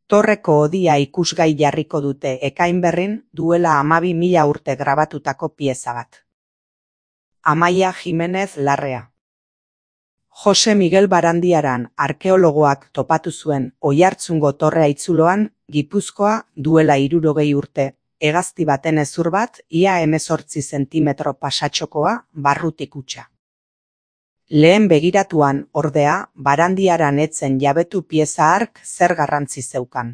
Torreko hodia ikusgai jarriko dute Ekainberrin duela 12.000 urte grabatutako pieza bat. Amaia Jimenez Larrea. Jose Miguel Barandiaran arkeologoak topatu zuen Oiartzungo torre haitzuloan, Gipuzkoa, duela 60 urte, hegazti baten hezur bat, ia 18 zentimetro pasatxokoa, barrutik hutsa. Lehen begiratuan, ordea, Barandiaran etzen jabetu pieza hark zer garrantzi zeukan.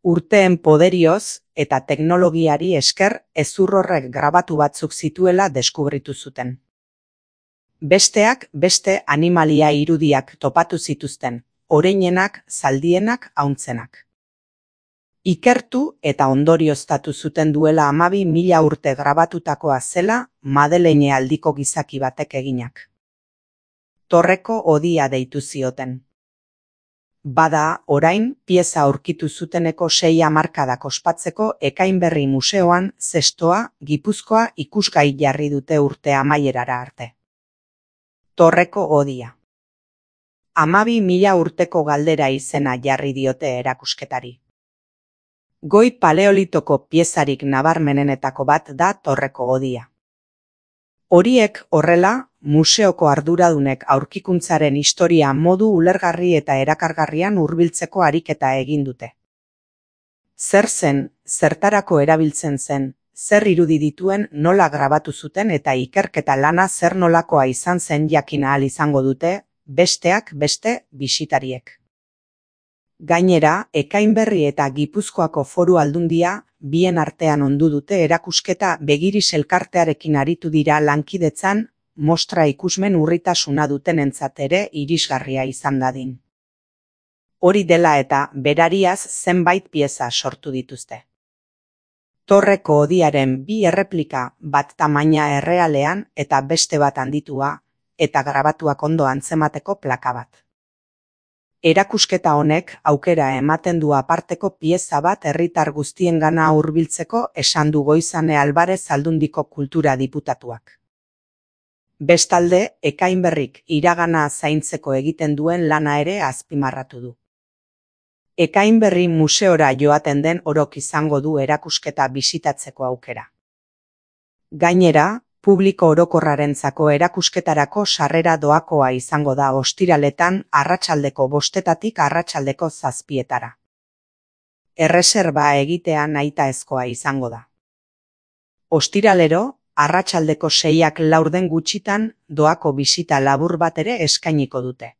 Urteen poderioz eta teknologiari esker hezur horrek grabatu batzuk zituela deskubritu zuten. Besteak beste animalia irudiak topatu zituzten, oreinenak, zaldienak, hauntzenak. Ikertu eta ondorioztatu zuten duela 12.000 urte grabatutakoa zela Madeleine aldiko gizaki batek eginak. Torreko hodia deitu zioten. Bada, orain, pieza aurkitu zuteneko 6 hamarkadak ospatzeko Ekainberri museoan zestoa, Gipuzkoa ikusgai jarri dute urte amaierara arte. Torreko hodia. 12.000 urteko galdera izena jarri diote erakusketari. Goi paleolitoko piezarik nabarmenenetako bat da torreko hodia. Horiek horrela, museoko arduradunek aurkikuntzaren historia modu ulergarri eta erakargarrian hurbiltzeko ariketa egin dute. Zer zen, zertarako erabiltzen zen, zer irudi dituen nola grabatu zuten eta ikerketa lana zer nolakoa izan zen jakin ahal izango dute, besteak beste bisitariek. Gainera, Ekainberri eta Gipuzkoako Foru Aldundia bien artean ondu dute erakusketa Begiris elkartearekin aritu dira lankidetzan, mostra ikusmen urritasuna dutenentzat ere irisgarria izan dadin. Hori dela eta berariaz zenbait pieza sortu dituzte. Torreko hodiaren 2 erreplika, bat tamaina errealean eta beste bat handitua, eta grabatuak ondo antzemateko plaka bat. Erakusketa honek aukera ematen du aparteko pieza bat herritar guztiengana hurbiltzeko esan du Goizane Alvarez Aldundiko kultura diputatuak. Bestalde, Ekainberrik iragana zaintzeko egiten duen lana ere azpimarratu du. Ekainberri museora joaten den orok izango du erakusketa bisitatzeko aukera. Gainera, publiko orokorrarentzako erakusketarako sarrera doakoa izango da ostiraletan arratsaldeko 5 arratsaldeko 7. Erreserba egitea nahitaezkoa izango da. Ostiralero, arratsaldeko 6 laurden gutxitan doako bisita labur bat ere eskainiko dute.